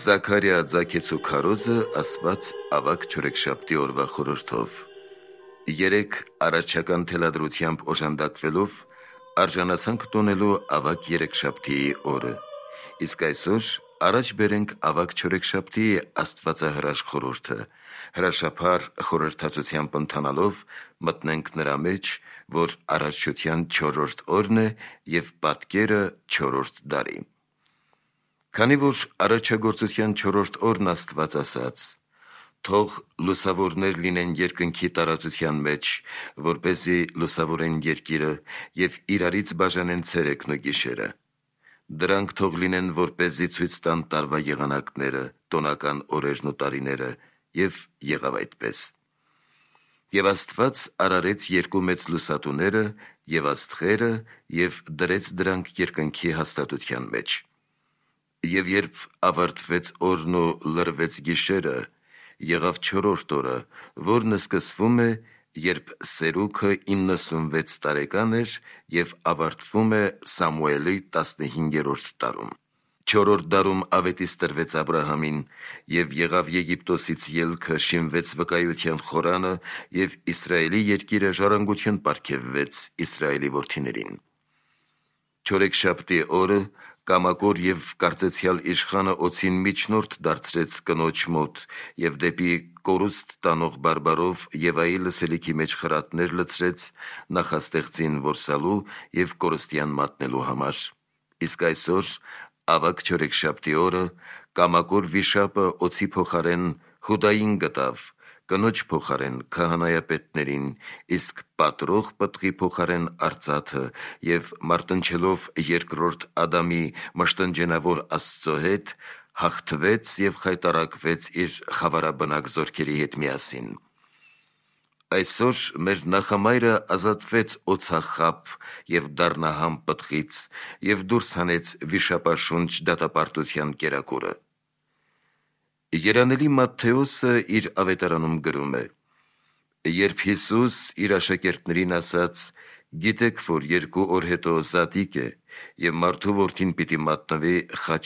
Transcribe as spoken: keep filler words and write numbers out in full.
Զաքարիա ձագեցու քարոզը ասված ավագ չորեքշաբթի օրվա խորհրդով։ Երեք առաջական թելադրությամբ օժանդակվելով արժանացանք տոնելու ավագ երեքշաբթիի օրը։ Իսկ այսօր առաջ բերենք ավագ չորեքշաբթիի աստվածահրաշ խորհուրդը, հրաշափառ խորհրդածությամբ ընթանալով մտնենք նրա մեջ, որ արարչության չորրորդ օրն է և պատկերը չորրորդ դարի։ Քանի որ արարչագործության չորրորդ օրն Աստված ասաց. «Թող լուսավորներ լինեն երկնքի տարածության մեջ, որպեսզի լուսավորեն երկիրը և իրարից բաժանեն ցերեկն ու գիշերը։ Դրանք թող լինեն, որպեսզի ցույց տան տարվա եղանակները, տոնական օրերն ու տարիները, և եղավ այդպես։ Եվ Աստված արարեց երկու մեծ լուսատուները և աստղերը և դրեց դրանք երկնքի հաստատության մեջ։ Եվ երբ ավարտվեց օրն ու լռվեց գիշերը, եղավ չորրորդ օրը, որն սկսվում է, երբ Սերուգը իննսունվեց տարեկան էր և ավարտվում է Սամուելի տասնհինգերորդ տարում։ Չորրորդ դարում ավետիս տրվեց Աբրահամին, և եղավ Եգիպտոսից ելքը, շինվեց վկայության խորանը, և Իսրայելի երկիրը ժառանգություն պարգևվեց Իսրայելի որդիներին։ Չորեքշաբթի օրը կամակոր և կարծեցյալ իշխանը օձին միջնորդ դարձրեց կնոջ մոտ և դեպի կորուստ տանող բարբարով Եվայի լսելիքի մեջ խրատներ լցրեց նախաստեղծին որսալու և կորստյան մատնելու համար։ Իսկ այսօր, ավագ չորեքշաբթի օրը, կամակոր վիշապը օձի փոխարեն Հուդային գտավ, կնոջ փոխարեն քահանայապետներին, իսկ պատռող պտղի փոխարեն արծաթը և մարտնչելով երկրորդ Ադամի մշտնջենավոր Աստծո հետ, հաղթվեց և խայտառակվեց իր խավարաբնակ զորքերի հետ միասին։ Այսօր մեր նախամայրը ազատվեց օձախաբ և դառնահամ պտղից և դուրս հանեց վիշապաշունչ դատապարտության կերակուրը։ Երանելի Մատթեոսը իր ավետարանում գրում է. «Երբ Հիսուս իր աշակերտներին ասաց. «Գիտեք, որ երկու օր հետո Զատիկ է, և մարդու որդին պիտի մատնվի խաչ